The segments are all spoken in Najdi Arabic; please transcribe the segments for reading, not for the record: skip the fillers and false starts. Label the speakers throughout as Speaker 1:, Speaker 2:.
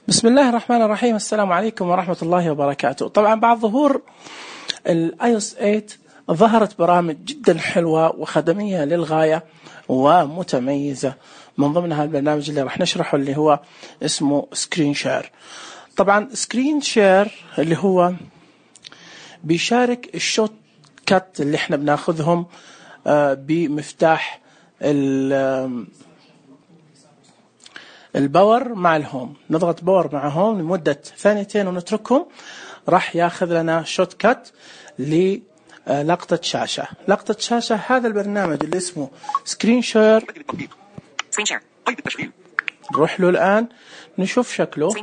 Speaker 1: بسم الله الرحمن الرحيم. السلام عليكم ورحمة الله وبركاته. طبعا بعد ظهور iOS 8 ظهرت برامج جدا حلوة وخدمية للغاية ومتميزة، من ضمنها البرنامج اللي راح نشرحه اللي هو اسمه سكرين شير. طبعا سكرين شير اللي هو بيشارك الشوت كات اللي احنا بناخذهم بمفتاح الباور مع الهوم. نضغط باور مع هوم لمدة 2 ثواني ونتركهم، راح ياخذ لنا شوت كات للقطة شاشة. لقطة شاشة هذا البرنامج اللي اسمه سكرين شير. نروح له الآن نشوف شكله.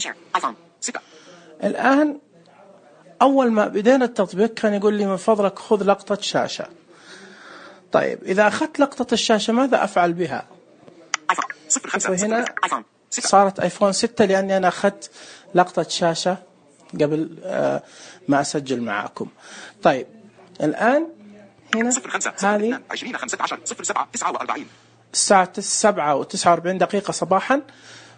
Speaker 1: الآن أول ما بدينا التطبيق كان يقول لي من فضلك خذ لقطة شاشة. طيب إذا أخذت لقطة الشاشة ماذا أفعل بها؟ هنا صارت آيفون 6 لأني أنا أخذت لقطة شاشة قبل ما أسجل معاكم. طيب الآن هنا هذه الساعة 7:49 صباحا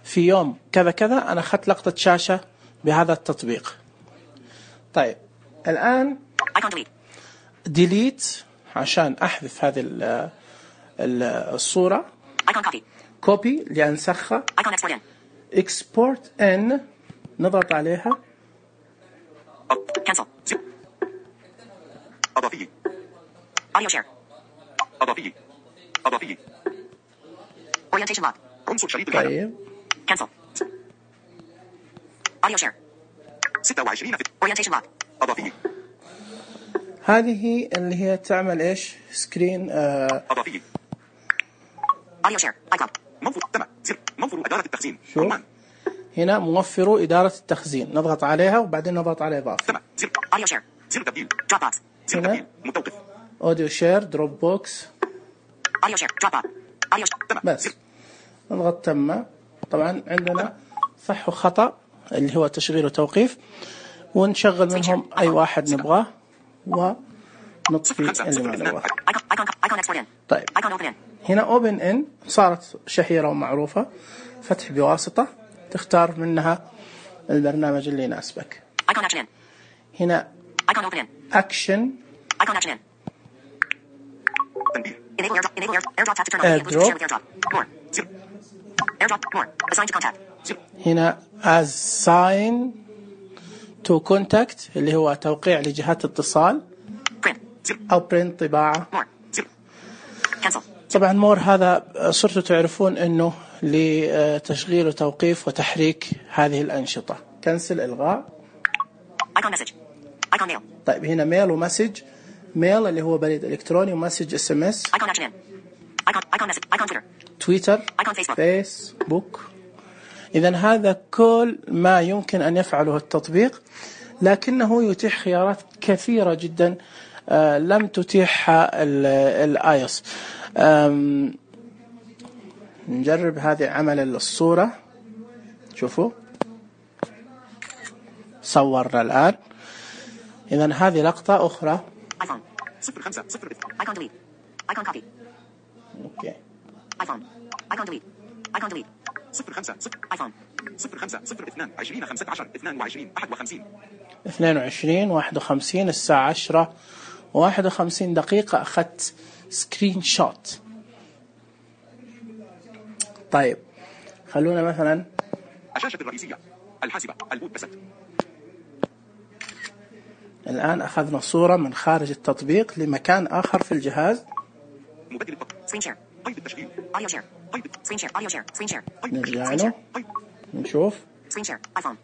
Speaker 1: في يوم كذا كذا أنا أخذت لقطة شاشة بهذا التطبيق. طيب الآن ديليت عشان أحذف هذه الصورة، كوبي لأنسخها، اكسبورت ان نضغط عليها،
Speaker 2: أضافي audio share أضافي orientation lock عنصر شريط الحالة.
Speaker 1: طيب
Speaker 2: cancel audio share 26 orientation lock أضافي.
Speaker 1: هذه اللي هي تعمل ايش؟ سكرين
Speaker 2: أضافي audio share icon موفر إدارة التخزين.
Speaker 1: هنا موفر إدارة التخزين، نضغط عليها وبعدين نضغط على إضافة.
Speaker 2: audio share زر تبديل drop box زر تبديل متوقف
Speaker 1: audio share دروب بوكس
Speaker 2: audio share drop box audio share
Speaker 1: بس نضغط تم. طبعا عندنا صح وخطأ اللي هو تشغيل وتوقيف، ونشغل منهم أي واحد نبغاه ونطفي اللي ما نبغاه. طيب هنا open in صارت شهيرة ومعروفة، فتح بواسطة، تختار منها البرنامج اللي يناسبك. هنا action هنا assign to contact اللي هو توقيع لجهات اتصال، أو print طباعة. طبعا مور هذا صرتوا تعرفون أنه لتشغيل وتوقيف وتحريك هذه الأنشطة. كنسل إلغاء. طيب هنا ميل ومسج. ميل اللي هو بريد إلكتروني، ومسج SMS تويتر فيسبوك. إذن هذا كل ما يمكن أن يفعله التطبيق، لكنه يتيح خيارات كثيرة جدا لم تتيحها الآيوس. نجرب هذه عمل الصورة. شوفوا صورنا الآن. إذن هذه لقطة أخرى. أوكي. 22:51 الساعة 10:51 أخذت سكرين شوت. طيب خلونا مثلا
Speaker 2: الشاشة الرئيسية الحاسبة البوت بست.
Speaker 1: الآن أخذنا صورة من خارج التطبيق لمكان آخر في الجهاز.
Speaker 2: مبدل التطبيق سكرين شير قيد التشغيل audio share قيد سكرين شير audio share سكرين شير
Speaker 1: نرجع له نشوف
Speaker 2: سكرين شير ايفون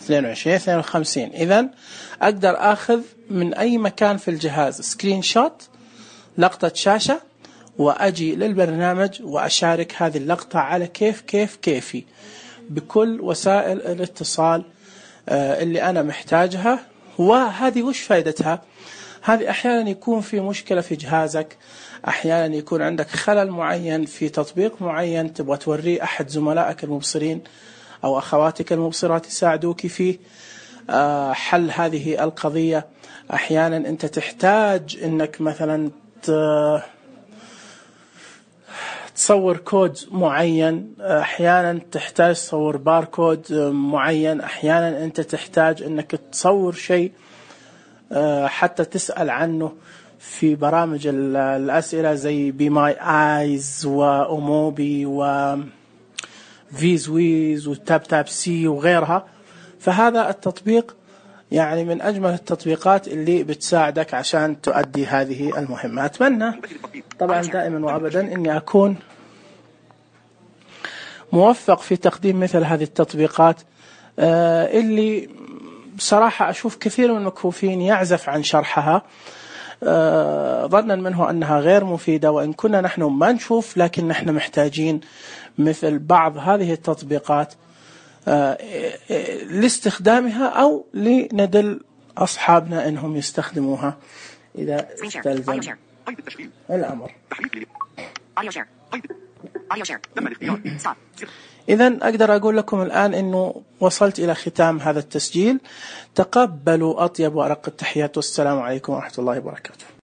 Speaker 1: 22:52. إذن أقدر أخذ من أي مكان في الجهاز سكرين شوت، لقطة شاشة، وأجي للبرنامج وأشارك هذه اللقطة على كيفي بكل وسائل الاتصال اللي أنا محتاجها. وهذه وش فائدتها؟ هذه أحيانا يكون في مشكلة في جهازك، أحيانا يكون عندك خلل معين في تطبيق معين تبغى توريه أحد زملائك المبصرين أو أخواتك المبصرات يساعدوك في حل هذه القضية. أحيانا أنت تحتاج أنك مثلا تصور كود معين، أحيانا تحتاج تصور باركود معين، أحيانا أنت تحتاج أنك تصور شيء حتى تسأل عنه في برامج الأسئلة زي بي ماي آيز وأموبي وفيزويز وتاب تاب سي وغيرها. فهذا التطبيق يعني من أجمل التطبيقات اللي بتساعدك عشان تؤدي هذه المهمة. أتمنى طبعا دائما وأبدا أني أكون موفق في تقديم مثل هذه التطبيقات اللي بصراحة أشوف كثير من المكفوفين يعزف عن شرحها ظنا منه أنها غير مفيدة، وإن كنا نحن ما نشوف لكن نحن محتاجين مثل بعض هذه التطبيقات لاستخدامها أو لندل أصحابنا أنهم يستخدموها إذا استلزم الأمر. إذن أقدر أقول لكم الآن أنه وصلت إلى ختام هذا التسجيل. تقبلوا أطيب وأرق التحيات، والسلام عليكم ورحمة الله وبركاته.